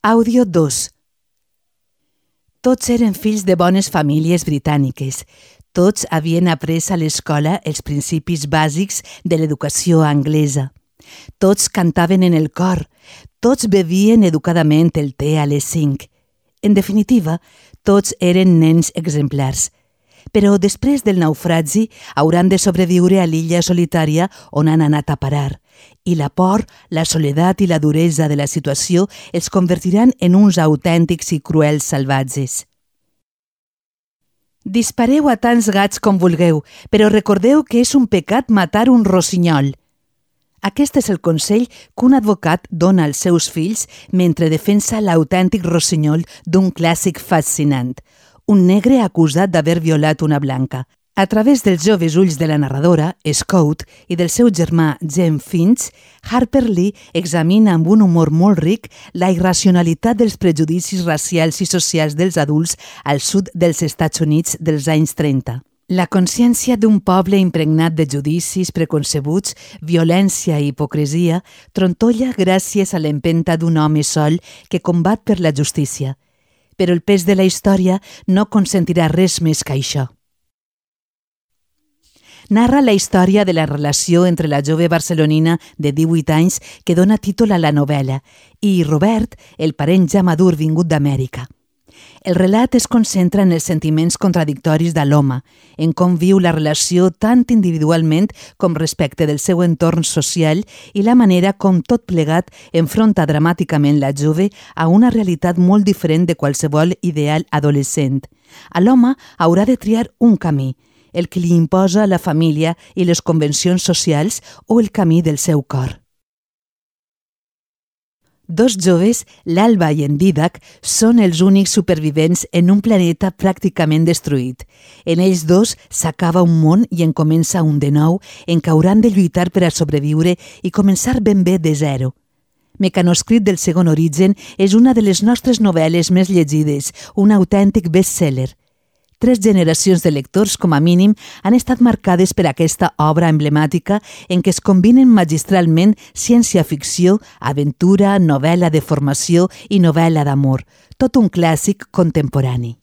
Àudio 2. Tots eren fills de bones famílies britàniques. Tots havien après a l'escola els principis bàsics de l'educació anglesa. Tots cantaven en el cor. Tots bevien educadament el te a les 5. En definitiva, tots eren nens exemplars. Però després del naufragi hauran de sobreviure a l'illa solitària on han anat a parar. I la por, la soledat i la duresa de la situació els convertiran en uns autèntics i cruels salvatges. Dispareu a tants gats com vulgueu, però recordeu que és un pecat matar un rossinyol. Aquest és el consell que un advocat dona als seus fills mentre defensa l'autèntic rossinyol d'un clàssic fascinant, un negre acusat d'haver violat una blanca. A través dels joves ulls de la narradora, Scout, i del seu germà Jem Finch, Harper Lee examina amb un humor molt ric la irracionalitat dels prejudicis racials i socials dels adults al sud dels Estats Units dels anys 30. La consciència d'un poble impregnat de judicis preconcebuts, violència i hipocresia trontolla gràcies a l'empenta d'un home sol que combat per la justícia. Però el pes de la història no consentirà res més que això. Narra la història de la relació entre la jove barcelonina de 18 anys que dona títol a la novel·la i Robert, el parent ja madur vingut d'Amèrica. El relat es concentra en els sentiments contradictoris de l'home, en com viu la relació tant individualment com respecte del seu entorn social i la manera com tot plegat enfronta dramàticament la jove a una realitat molt diferent de qualsevol ideal adolescent. A l'home haurà de triar un camí, el que li imposa la família i les convencions socials o el camí del seu cor. Dos joves, l'Alba i en Didac, són els únics supervivents en un planeta pràcticament destruït. En ells dos s'acaba un món i en comença un de nou en què hauran de lluitar per a sobreviure i començar ben bé de zero. Mecanoscrit del segon origen és una de les nostres novel·les més llegides, un autèntic best-seller. 3 generacions de lectors, com a mínim, han estat marcades per aquesta obra emblemàtica en què es combinen magistralment ciència-ficció, aventura, novel·la de formació i novel·la d'amor, tot un clàssic contemporani.